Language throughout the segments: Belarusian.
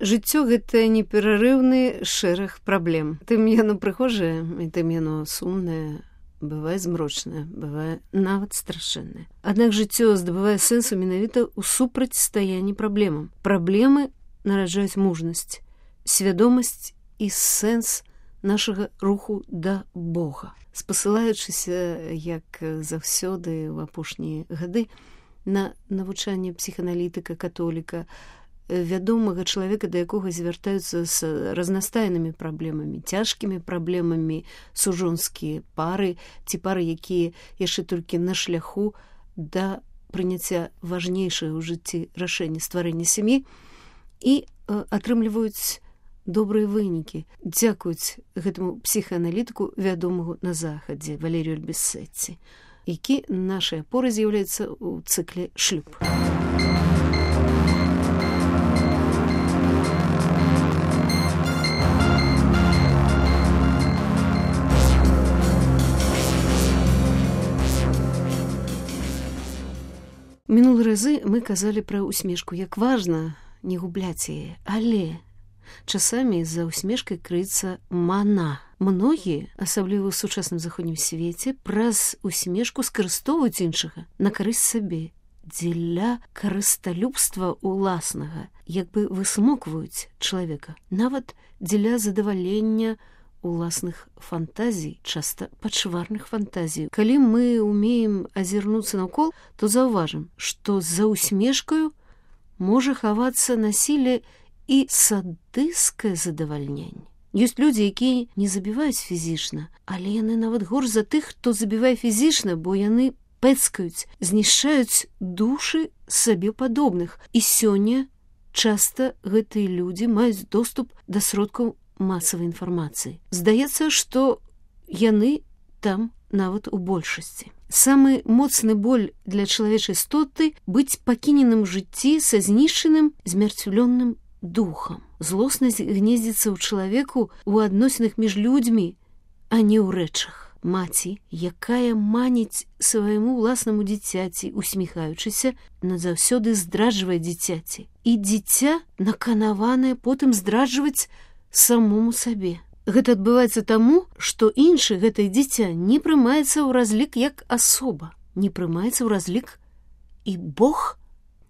Жыццё гэта неперарыўны шэраг праблем. Тым яно прыгожае, і тым яно сумнае, бывае змрочнае, бывае нават страшэннае. Аднак жыццё здабывае сэнсу менавіта ў супрацьстаянні праблемам. Праблемы нараджаюць мужнасць, свядомасць і сэнс нашага руху да Бога. Спасылаючыся, як заўсёды ў апошнія гады, на навучанне псіханалітыка-католіка, вядомага чалавека, да якога звяртаюцца з разнастайнымі праблемамі, цяжкімі праблемамі сужонскія пары ці пары, якія яшчэ толькі на шляху да прыняцця важнейшага ў жыцці рашэння стварэння сям'і і атрымліваюць добрыя вынікі. Дзякуюць гэтаму псіхааналітыку, вядомага на захадзе, Валерію Альбісетці, які нашай апорай з'яўляецца ў цыкле «Шлюб». Мінулыя разы мы казалі пра усмешку, як важна не губляць яе, але часамі за усмешкай крыецца мана. Многія, асабліва ў сучасным заходнім свеце, праз усмешку скарыстоўваюць іншага на карысць сабе, дзеля карысталюбства ўласнага, як бы высмокваюць чалавека, нават дзеля задавалення уласных фантазій, часта пачварных фантазій. Калі мы умеем азірнуцца наўкол, то заўважым, што за усмешкаю можа хавацца насілле і садысцкае задавальненне. Ёсць людзі, якія не забіваюць фізічна, але яны нават горш за тых, хто забівае фізічна, бо яны пэцкаюць, знішчаюць душы сабе падобных. І сёння часта гэтыя людзі маюць доступ да сродкаў масавай інфармацыі. Здаецца, што яны там нават у большасці. Самы моцны боль для чалавечай істоты быць пакіненым у жыцці са знішчаным, змярцвённым духам. Злоснасць гнездзіцца ў чалавеку ў адносінах між людзьмі, а не ў рэчах. Маці, якая маніць свайму ўласнаму дзіцяці, усміхаючыся, назаўсёды здраджвае дзіцяці. І дзіця наканаванае потым здраджваць самому сабе. Гэта адбываецца таму, што іншы гэтае дзіця не прымаецца ў разлік як асоба, не прымаецца ў разлік і Бог.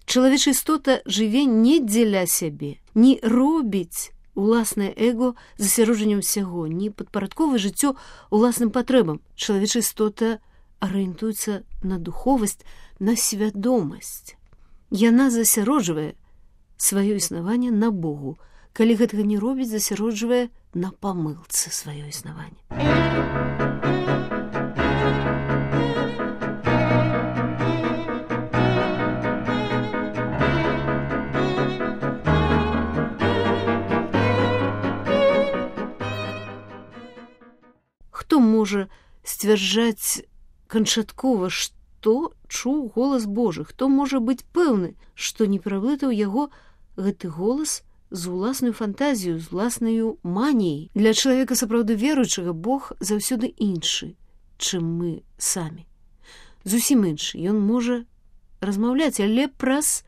Чалавечая істота жыве не дзеля сябе, не робіць уласнае эго засяроджаннем усяго, не падпарадковае жыццё уласным патрэбам. Чалавечая істота арыентуецца на духовасць, на свядомасць. Яна засяроджвае сваё існаванне на Богу. Калі гэтага не робіць, засяроджвае на памылцы сваё існаванне. Хто можа сцвярджаць канчаткова, што чуў голас Божы? Хто можа быць пэўны, што не пераблытаў яго гэты голас з уласнаю фантазію, з уласнаю маніяй? Для чалавека сапраўды веруючага Бог заўсёды іншы, чым мы самі. Зусім іншы. Ён можа размаўляць, але праз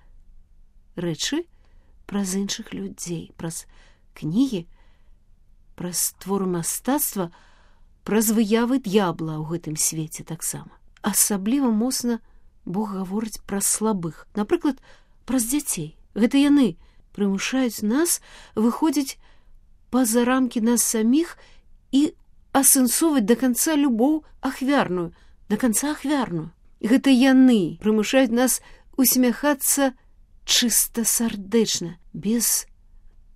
рэчы, праз іншых людзей, праз кнігі, праз творы мастацтва, праз выявы д'ябла ў гэтым свеце таксама. Асабліва моцна Бог гаворыць праз слабых. Напрыклад, праз дзяцей. Гэта яны прымушаюць нас выходзіць па-за рамкі нас саміх і асэнсоўваць да канца любоў ахвярную, да канца ахвярную. Гэта яны прымушаюць нас усмяхацца чыста сардэчна, без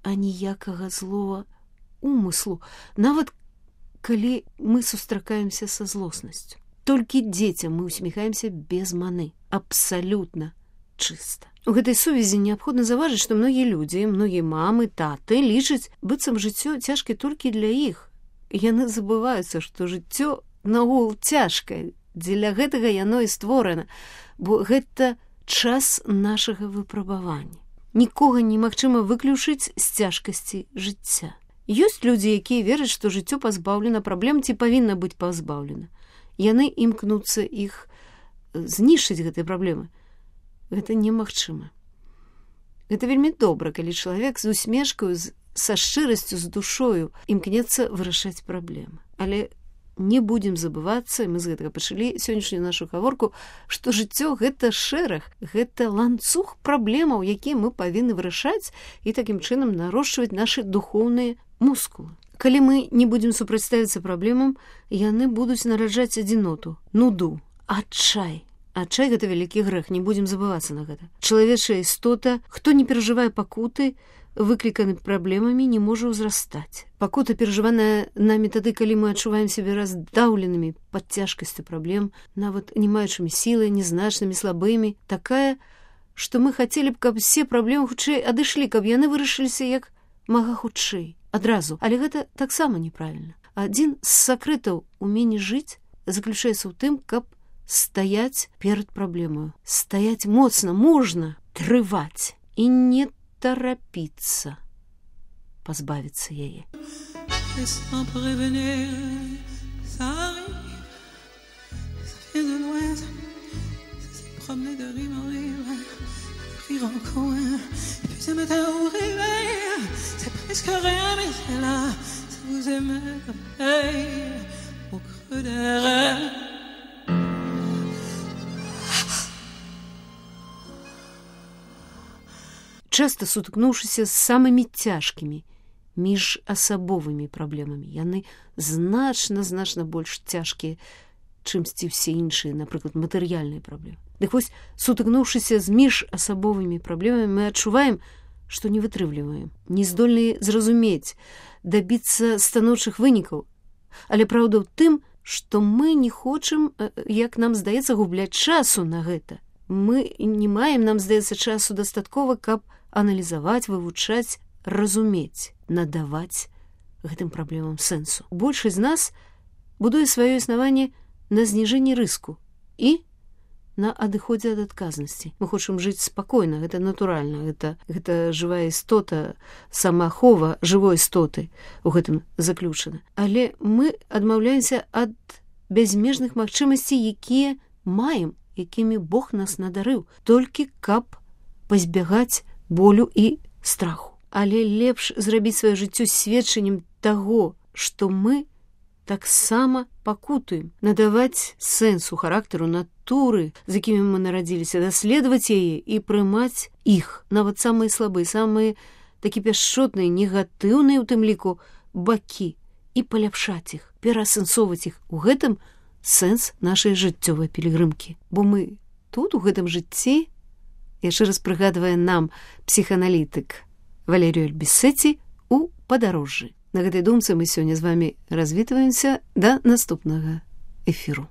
аніякага злого умыслу, нават калі мы сустракаемся са злоснасцю. Толькі дзецям мы усміхаемся без маны, абсалютна чыста. У гэтай сувязі неабходна заўважыць, што многія людзі, многія мамы, таты лічаць, быццам жыццё цяжкае толькі для іх. Яны забываюцца, што жыццё наогул цяжкае. Дзеля гэтага яно і створана, бо гэта час нашага выпрабавання. Нікога немагчыма выключыць з цяжкасці жыцця. Ёсць людзі, якія вераць, што жыццё пазбаўлена праблем ці павінна быць пазбаўлена. Яны імкнуцца іх знішчыць гэтыя праблемы. Гэта немагчыма. Гэта вельмі добра, калі чалавек з усмешкаю, са шчырасцю, з душою імкнецца вырашаць праблемы. Але не будзем забывацца, і мы з гэтага пачалі сённяшнюю нашу гаворку, што жыццё гэта шэраг, гэта ланцуг праблемаў, якія мы павінны вырашаць і такім чынам нарошчваць нашы духоўныя мускулы. Калі мы не будзем супрацьставіцца праблемам, яны будуць нараджаць адзіноту, нуду, адчай. Адчай гэта вялікі грэх, не будзем забывацца на гэта. Чалавечая істота, хто не перажывае пакуты, выкліканы праблемамі, не можа ўзрастаць. Пакута, перажываная намі тады, калі мы адчуваем сябе раздаўленымі пад цяжкасцю праблем, нават не маючымі сілы, незначнымі, слабымі, такая, што мы хацелі б, каб все праблемы хутчэй адышлі, каб яны вырашыліся як мага хутчэй, адразу. Але гэта таксама неправільна. Адзін з сакрэтаў умення жыць заключаецца ў тым, каб стаяць перад праблемаю. Стаяць моцна, мужна, трываць і не торопиться позбавиться яе. Часта сутыкнуўшыся з самымі цяжкімі міжасабовымі праблемамі. Яны значна больш цяжкія, чымсьці ўсе іншыя, напрыклад, матэрыяльныя праблемы. Дык вось, сутыкнуўшыся з міжасабовымі праблемамі, мы адчуваем, што не вытрымліваем, не здольныя зразумець, дабіцца станоўчых вынікаў. Але праўда ў тым, што мы не хочам, як нам здаецца, губляць часу на гэта. Мы не маем, нам здаецца, часу дастаткова, каб аналізаваць, вывучаць, разумець, надаваць гэтым праблемам сэнсу. Большасць з нас будуе сваё існаванне на зніжэнні рыску і на адыходзе ад адказнасці. Мы хочам жыць спакойна, гэта натуральна, гэта жывая істота, самаахова жывой істоты у гэтым заключана. Але мы адмаўляемся ад бязмежных магчымасцей, якія маем, якімі Бог нас надарыў, толькі каб пазбягаць болю і страху. Але лепш зрабіць сваё жыццё сведчаннем таго, што мы таксама пакутуем, надаваць сэнсу, характару, натуры, з якімі мы нарадзіліся, даследаваць яе і прымаць іх, нават самыя слабыя, самыя такі пяшчотныя, негатыўныя, у тым ліку, бакі, і паляпшаць іх, пераасэнсоўваць іх. У гэтым сэнс нашай жыццёвай пілігрымкі. Бо мы тут, у гэтым жыцці, яшчэ раз прыгадвае нам псіхааналітык Валерію Альбісеці у падарожжы. На гэтай думцы мы сёння з вамі развітваемся да наступнага эфіру.